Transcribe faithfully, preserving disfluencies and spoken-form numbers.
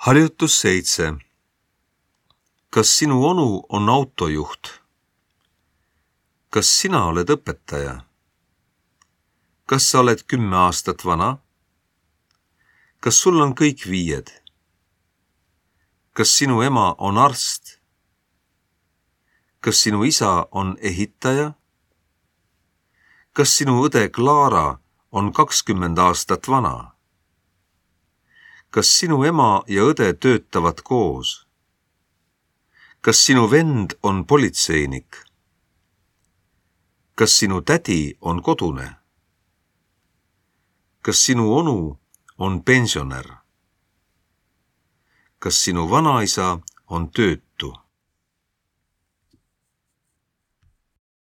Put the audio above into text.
Harjutus seitse. Kas sinu onu on autojuht? Kas sina oled õpetaja? Kas sa oled kümme aastat vana? Kas sul on kõik viied? Kas sinu ema on arst? Kas sinu isa on ehitaja? Kas sinu õde Klaara on kakskümmend aastat vana? Kas sinu ema ja õde töötavad koos? Kas sinu vend on politseinik? Kas sinu tädi on kodune? Kas sinu onu on pensionär? Kas sinu vanaisa on töötu?